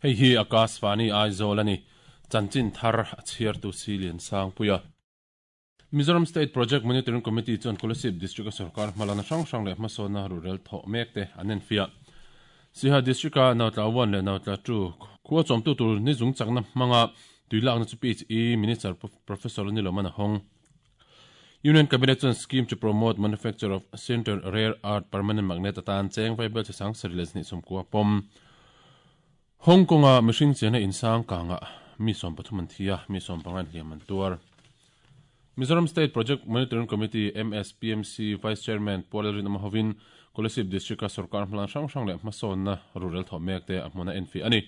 Hei hi Akashvani Aizawl a ni. Chanchin thar a chhiartu Silian Sangpuia. Mizoram State Project Monitoring Committee chuan Kolasib District-a sorkar hmalakna hrang hrang leh hmasawnna ruhrel thawh mek te an enfiah. Siha District-a Nautla 1 leh Nautla 2 khua chawmtu tur ni zung chakna hmanga tuilakna chu PHE Minister Professor Niloman a hawng. Union Cabinet chuan scheme to promote manufacture of sinter rare earth permanent magnet atan cheng vaibel chi sang sarih leh znih sawmkua pawm. Hong Kong-a mihring chena insang kangah mi 13 an thi a, mi 15 hliam an tuar. Mizoram State Project Monitoring Committee, MSPMC, Vice Chairman Pu Lalrinawma hovin Kolasib District-a sorkar hmalan hrang hrang leh hmasawnna rurel thawh mek te a hmun a enfiah a ni.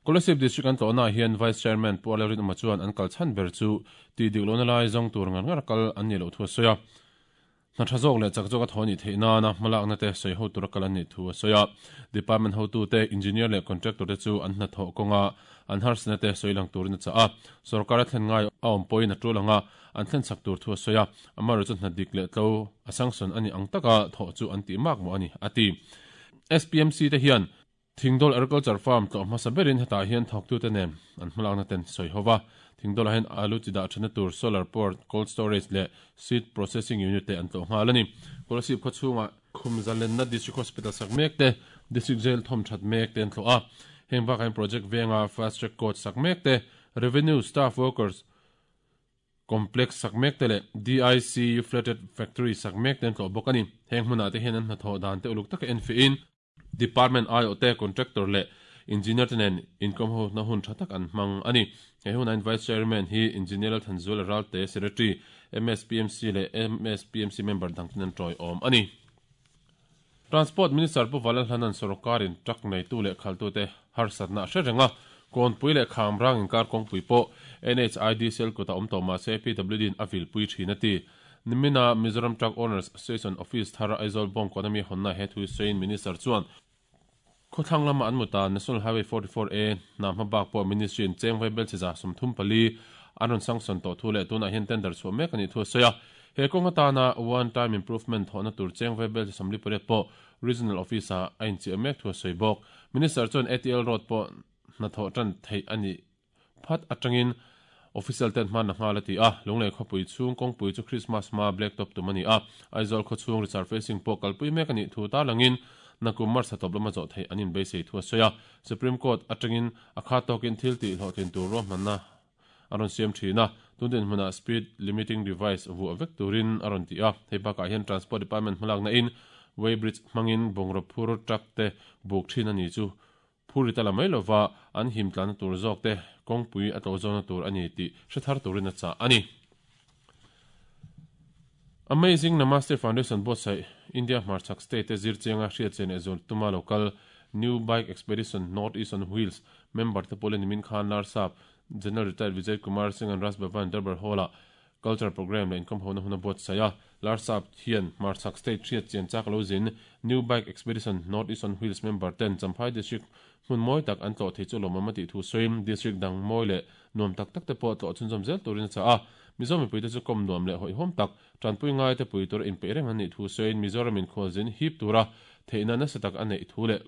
Kolasib District an tlawhnaah hian Vice Chairman Pu Lalrinawma chuan an kal chhan ber chu tih dik lohna lai zawng tur ngar ngar kal an nih loh thu a sawi a. Hna tha zawk leh chak zawk a thaw anih theih nana hmalakna te sawi ho tura kal an nih thu a sawi a. Department hotute, engineer leh contractor te chu an hnathawh kawnga an harsatna te sawi lang turin a chah a. Sorkar a thlen ngai a awm pawhin a tul anga an thlen chak tur thu a sawi a. Amaherawhchu chu hna dik leh tlo a sanction anih ang taka thawh chu an tih mak mawh a ni, a ti. SPMC te hian Thingdawl Agriculture Farm tlawh hmasa berin hetah hian thawktute nen an hmalakna ten sawi ho va. Thingdawlah hian alu chi dah thenna tur solar power cold storage leh seed processing unit te an tlawh nghal a ni. Kolasib khaw chhungah Khum Zalenna District Hospital sak mek te, District Jail thawm that mek te an tlawh a. Heng bakah hian project venga fast track court sak mek te, Revenue Staff Workers Complex sak mek te leh DIC Flatted Factory sak mek te an tlawh bawk a ni. Heng hmunah te hian an hnathawh dan te uluk taka enfiahin, Department aiawhte, Contractor leh Engineer te nen inkawmhona hun tha tak an hmang a ni. He hunah Vice Chairman hi Engineer Lalthanzuala Ralte, Secretary, MSPMC leh MSPMC member dangten an tawiawm a ni. Transport Minister Pu Valalhlanan sawrkarin truck neitu leh khaltute harsatna a hre reng a, Kawnpui leh Khamrang inkar kawngpui pawh NHID cell kutah awm tawh mahse PWD in a vilpui thin a ti. Nimina Mizoram Truck Owners Association Office thar Aizawl Bawngkawn ami hawnna he thu sawiin Minister chuan, Khawthlang lama an mut a, National Highway 44 A hna hma bak pawh Ministry in cheng vaibel chiza 34 an rawn sanction tawh thu leh tunah hian tender chhuah mek a nih thu a sawi a. He kawng atana One Time Improvement thawhna tur cheng vaibel chi 48 pawh Regional Office ah a inchiah mek thu a sawi bawk. Minister chuan ATL Road pawh hnathawh tan theih a nih Phat atangin official ten hman a nghal a ti a, Lunglei khawpui chhung kawngpui chu Christmas hma black top tum a ni a, Aizawl khaw chhung resurfacing pawh kalpui mek a nih thu tarlangin nakum March thla tawp lama zawh theih an inbeisei thu a sawi a, Supreme Court atangin a khat tawkin thil tih hlawhtlin tur ruahmanna a rawn siam thin a, tun dinhmunah speed limiting device vuah vek turin a rawn ti a, hei bakah hian Transport Department hmalakna in weighbridge hmangin bungraw phur truck te buk thin a ni chu Phur ri ta la mai lova an him tlanna tur zawk te kawngpui a tlawh zawna tur a ni tih hre thar turin a chah a ni. Amazing Namaste Foundation buatsaih India hmarchhak state te zir chianga hriat che leh zual tuma local New Bike Expedition North East on Wheels member te pawlin nimin khan Larsap General Retired Vijay Kumar Singh an Raj Bhavan Darbar Hall-ah Culture Programme leh inkhawmhona hun a buatsaih a, Larsap hian hmarchhak state hriat chian chak lo zin New Bike Expedition North East on Wheels member ten Champhai District hmun mawi tak an tlawh thei chu lawmawm a tih thu sawiin District dang mawi leh nuam tak tak te pawh tlawh chhunzawm zel turin a chah a. Mizo mipuite chu kawm nuam leh hawihhawm tak, tanpui ngaite pui tura inpeih reng an nih thu sawiin Mizoram inkhualzin hip tura theihna nasa tak a neih thu leh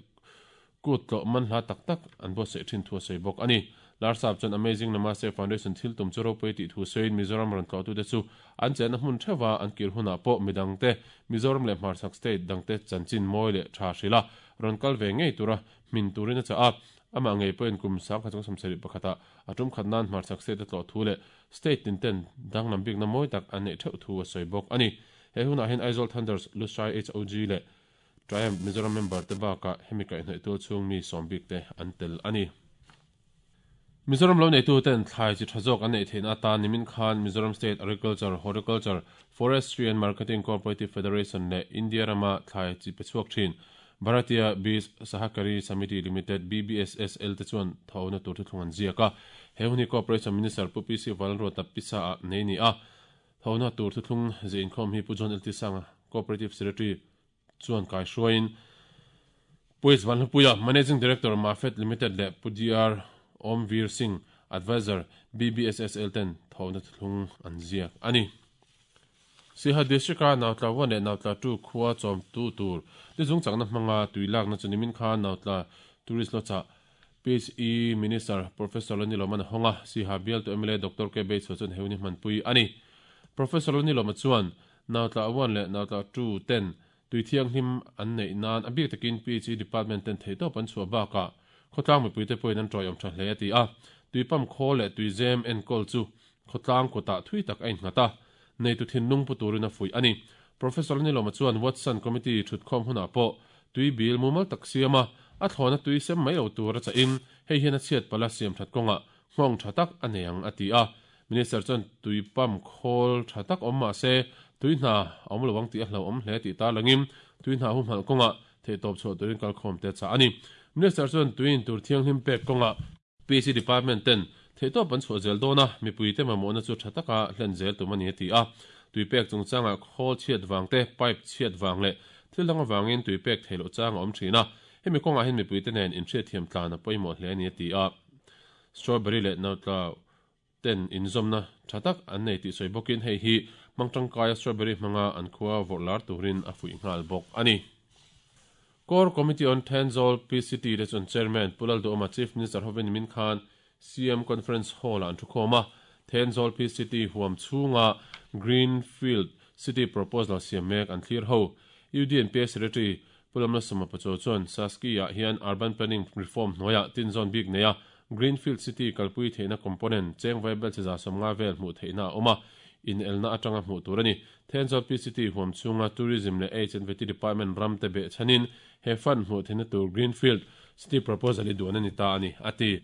Kut tlawh man hla tak tak an buatsaih thin thu a sawi bawk a ni. Larsap chuan Amazing Namaste Foundation thil tum chu ropui tih thu sawiin Mizoram rawn tlawhtute chu an chenna hmun theuha an kir hunah pawh midangte Mizoram leh hmarchhak state dangte chanchin mawi leh tha hrilh a rawn kal ve ngei tura hmin turin a chah a. Amah ngei pawhin kum 1971 ah a tum khat nan hmarchhak state a tlawh thu leh state tin ten danglam bikna mawi tak an neih theuh thu a sawi bawk a ni. He hunah hian Aizawl Thunders, Lushai HOG leh Triumph Mizoram member te bakah hemi kaihhnawih tual chhung mi sawm bik te an tel a ni. Mizoram lo neitu ten thlai chi tha zawk an neih theihna atan nimin khan Mizoram State Agriculture, Horticulture, Forestry and Marketing Cooperative Federation leh India rama thlai chi pe chhuak thin Bharatiya Bij Sahakari Samiti Limited, BBSSL, te chuan thauna tur thuthlung an ziak a. He hun hi Cooperation Minister Pu PC Vanlalruata pisa ah nei ni a. Thauna tur thuthlung zeh inkhawm hi Pu John LT Sanga, Cooperative Secretary, chuan kai hruaiin Pu H Vanhlupuia, Managing Director, Mafed Limited leh Pu DR Om Veer Singh, Advisor, BBSSL ten thawhna thuthlung an ziak a ni. Siha District-a Nautla 1 leh Nautla 2 khua chawmtu tur tizung chakna hmanga tui lakna chu nimin khan Nautla Tourist Lodge-ah. PHE Minister Professor Lalnilawman a hawng a, Siha bialtu mla Doctor KB Chhuah chuan heuni hmanpui a ni. Professor Lalnilawma chuan Nautla one leh Nautla two ten tui thianghlim an neih nan a bik takin PHE Department ten theihtawp an chhuah bakah khawtlang mipuite pawhin an tawiawm tha hle a ti a. Tui pump khawl leh tui zem enkawl chu khawtlang kutah thui tak a innghat a, neitu thinlung pu turin a fuih a ni. Professor Lalnilawma chuan Watson Committee thutkhawm hunah pawh tui bil mumal tak siam a, a thlawna tui sem mai lo tur a chahin hei hian a chhiat palh a siam that kawngah nghawng tha tak a nei ang a ti a. Minister chuan tui pump khawl tha tak awm mah se tui hna a awm lo ang tih a hlauhawm hle tih tarlangin tui hna humhalh kawngah theihtawp chhuah turin kalkhawm te a chah a ni. Minister chuan tui intur thianghlim pek kawngah PC Department ten theihtawp an chhuah zel dawn a, mipuite mamawhna chu tha taka hlen zel tum a ni a ti a. Tui pek chungchangah khawl chhiat vang te, pipe chhiat vang leh thil dang avangin tui pek theih loh chang a awm thin a, hemi kawngah hian mipuite nen inhriatthiam tlan a pawimawh hle a ni a ti a. Strawberry leh Nautlau ten inzawmna tha tak an nei tih sawi bawkin hei hi hmang tangkaia strawberry hmanga an khua vawrh lar turin a fuih nghal bawk a ni. Core Committee on Thenzawl PCT te chuan Chairman Pu Lalduhawma Chief Minister hovin nimin khan CM Conference Hall-ah an thukhawm a, Thenzawl PCT huam chhunga Greenfield City proposal siam mek an thlir ho. UDNPA Secretary Pu Lamlasawma Pachuau chuan Saski-ah hian Urban Planning Reform hnuaiah tinzawn bik neia Greenfield City kalpui theihna component cheng vaibelchhe 150 vel hmuh theihna a awm a, inelna atanga hmuh tur a ni. Thenzawl PCT huam chhunga Tourism leh H&VT Department ram te beh chhanin he fund hmuh theihna tur Greenfield City proposal hi duan a ni ta a ni, a ti.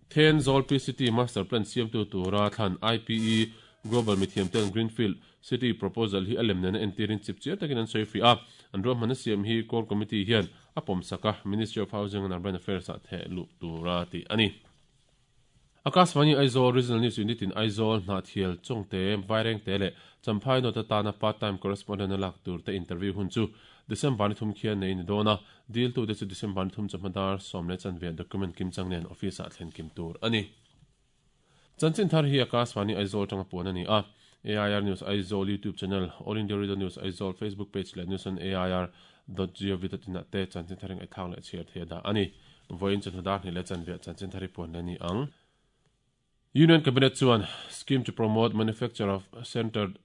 Thenzawl PCT Master Plan siamtu tura thlan IPE Global mithiamten Greenfield City proposal hi a lem nena entirin chip chiar takin an sawi fiah a, an ruahmanna siam hi Core Committee hian a pawmsak a, Ministry of Housing and Urban Affairs ah theh luh tura tih a ni. Akashvani Aizawl Regional News Unit in Aizawl, Hnahthial, Chawngte, Vairengte leh Champhai North atana part time correspondent a lak tur te interview hun chu December ni thum khian nei a ni dawn a, diltute chu December ni thum chawhma dar 10:15 document kimchang nen office ah thlen kim tur a ni. Chanchin thar hi Akashvani Aizawl atanga puan a ni a, AIR News Aizawl YouTube channel, All India Radio News Aizawl Facebook page leh News on AIR dot gov dot in ah te chanchin thar hi ngaihthlak leh chhiar thei a dah a ni. Vawiin chawhnu dar hnih leh chanve chanchin thar hi puan leh a ni ang. Union Cabinet chuan Scheme to promote manufacture of centered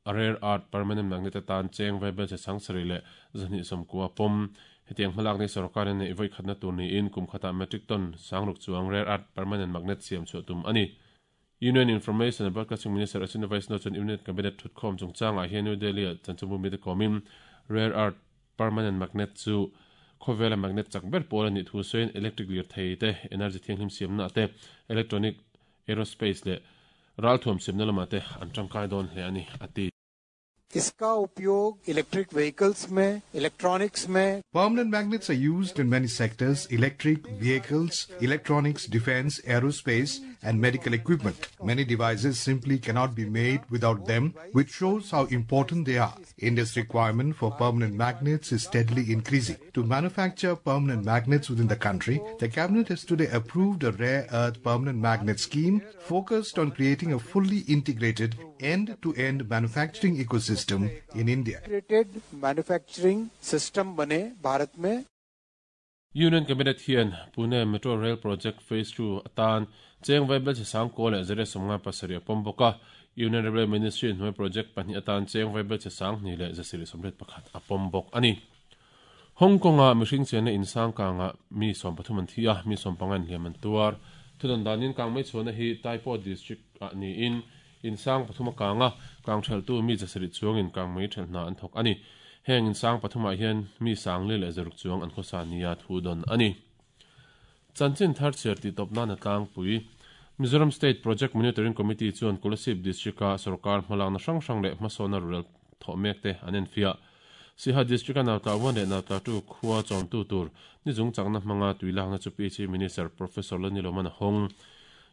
Rare Earth Permanent Magnet atan cheng vaibelchhe 7290 pawm. Hetiang hmalak ni sorkarin neih vawi khatna tur niin kum khatah metric ton 6000 chuang Rare Earth Permanent Magnet siam chhuah tum a ni. Union Information and Broadcasting Minister Ashwini Vaishnaw chuan Union Cabinet thutkhawm chungchangah hian New Delhi-ah chanchinbu mite kawmin Rare Earth Permanent Magnet chu khawvela magnet chak ber pawl a nih thu sawiin electric lirthei te, energy thianghlim siamna te, electronic, aerospace leh ralthuam siamna lamah te an tangkai dawn hle a ni, a ti. Iska upyog electric vehicles mein, electronics mein. Permanent magnets are used in many sectors, electric vehicles, electronics, defense, aerospace and medical equipment. Many devices simply cannot be made without them, which shows how important they are. India's requirement for permanent magnets is steadily increasing. To manufacture permanent magnets within the country, the cabinet has today approved a rare earth permanent magnet scheme focused on creating a fully integrated end-to-end manufacturing ecosystem in India. Integrated manufacturing system bane Bharat mein. Union Cabinet hian Pune Metro Rail Project Phase 2 atan cheng vaibelchhe 9,157 a pawm bawk a. Union Railway Ministry hnuai project pahnih atan cheng vaibelchhe 2,181 a pawm bawk a ni. Hong Kong-a mihring chenna in sang kangah mi 13 an thi a, mi 15 in hliam an tuar. Thudawn danin kang mai chhuahna hi Tai Po District-ah niin in sang pathum a kang a, kang thelhtu mi 7 chuangin kang mai thelh hna an thawk a ni. Heng in sang pathumah hian mi 106 chuang an khawsa nia thu dawn a ni. Chanchin thar chhiar tih tawp nan a tlangpui. Mizoram State Project Monitoring Committee chuan Kolasib District-a sorkar hmalakna hrang hrang leh hmasawnna rurel thawh mek te an enfiah. Siha District-a Nautla one leh Nautla two khua chawmtu tur ni zung chakna hmanga tui lakna chu PHE Minister Professor Laniloman a hawng.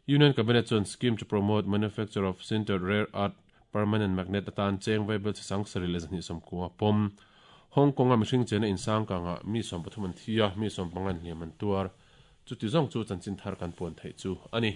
Union Cabinet chuan Scheme to promote manufacture of sintered rare earth permanent magnet atan cheng vaibelchhe 7290 pawm. Hong Kong-a mihring chena insang kangah mi 13 an thi a, mi 15 in hliam an tuar. Chuti zawng chu chanchin thar kan puan theih chu a ni.